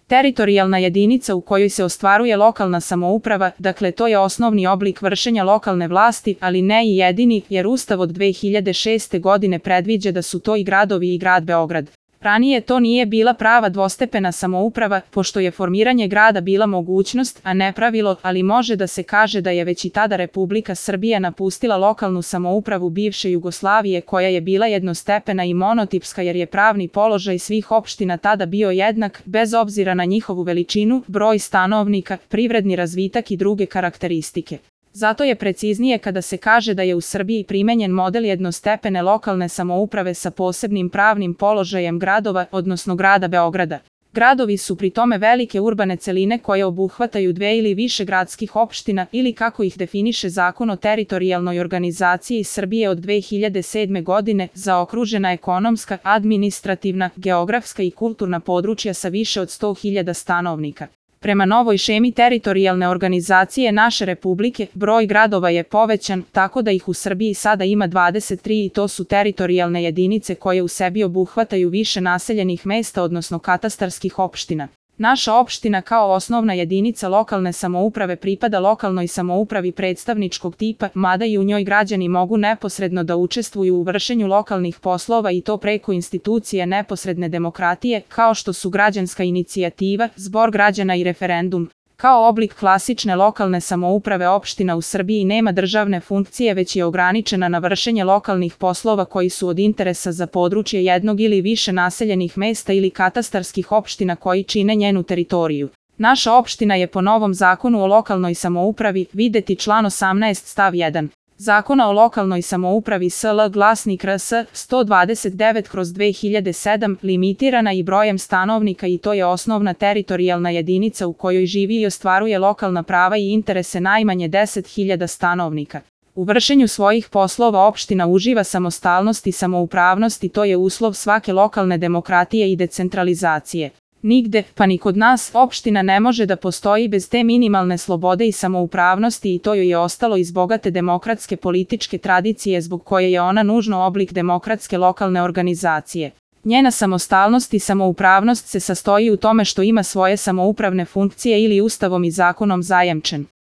Teritorijalna jedinica u kojoj se ostvaruje lokalna samouprava, dakle to je osnovni oblik vršenja lokalne vlasti, ali ne i jedini, jer Ustav od 2006. godine predviđa da su to i gradovi i grad Beograd. Ranije to nije bila prava dvostepena samouprava, pošto je formiranje grada bila mogućnost, a ne pravilo, ali može da se kaže da je već i tada Republika Srbija napustila lokalnu samoupravu bivše Jugoslavije koja je bila jednostepena i monotipska jer je pravni položaj svih opština tada bio jednak, bez obzira na njihovu veličinu, broj stanovnika, privredni razvitak i druge karakteristike. Zato je preciznije kada se kaže da je u Srbiji primenjen model jednostepene lokalne samouprave sa posebnim pravnim položajem gradova, odnosno grada Beograda. Gradovi su pri tome velike urbane celine koje obuhvataju dve ili više gradskih opština ili kako ih definiše Zakon o teritorijalnoj organizaciji Srbije od 2007. godine, zaokružena ekonomska, administrativna, geografska i kulturna područja sa više od 100.000 stanovnika. Prema novoj šemi teritorijalne organizacije naše republike, broj gradova je povećan, tako da ih u Srbiji sada ima 23 i to su teritorijalne jedinice koje u sebi obuhvataju više naseljenih mesta, odnosno katastarskih opština. Naša opština kao osnovna jedinica lokalne samouprave pripada lokalnoj samoupravi predstavničkog tipa, mada i u njoj građani mogu neposredno da učestvuju u vršenju lokalnih poslova i to preko institucije neposredne demokratije, kao što su građanska inicijativa, zbor građana i referendum. Kao oblik klasične lokalne samouprave opština u Srbiji nema državne funkcije, već je ograničena na vršenje lokalnih poslova koji su od interesa za područje jednog ili više naseljenih mesta ili katastarskih opština koji čine njenu teritoriju. Naša opština je po novom Zakonu o lokalnoj samoupravi, videti član 18 stav 1. Zakona o lokalnoj samoupravi SL glasnik RS 129/2007 limitirana i brojem stanovnika i to je osnovna teritorijalna jedinica u kojoj živi i ostvaruje lokalna prava i interese najmanje 10.000 stanovnika. U vršenju svojih poslova opština uživa samostalnost i samoupravnost i to je uslov svake lokalne demokratije i decentralizacije. Nigde, pa ni kod nas, opština ne može da postoji bez te minimalne slobode i samoupravnosti i to joj je ostalo iz bogate demokratske političke tradicije zbog koje je ona nužno oblik demokratske lokalne organizacije. Njena samostalnost i samoupravnost se sastoji u tome što ima svoje samoupravne funkcije ili Ustavom i zakonom zajemčen.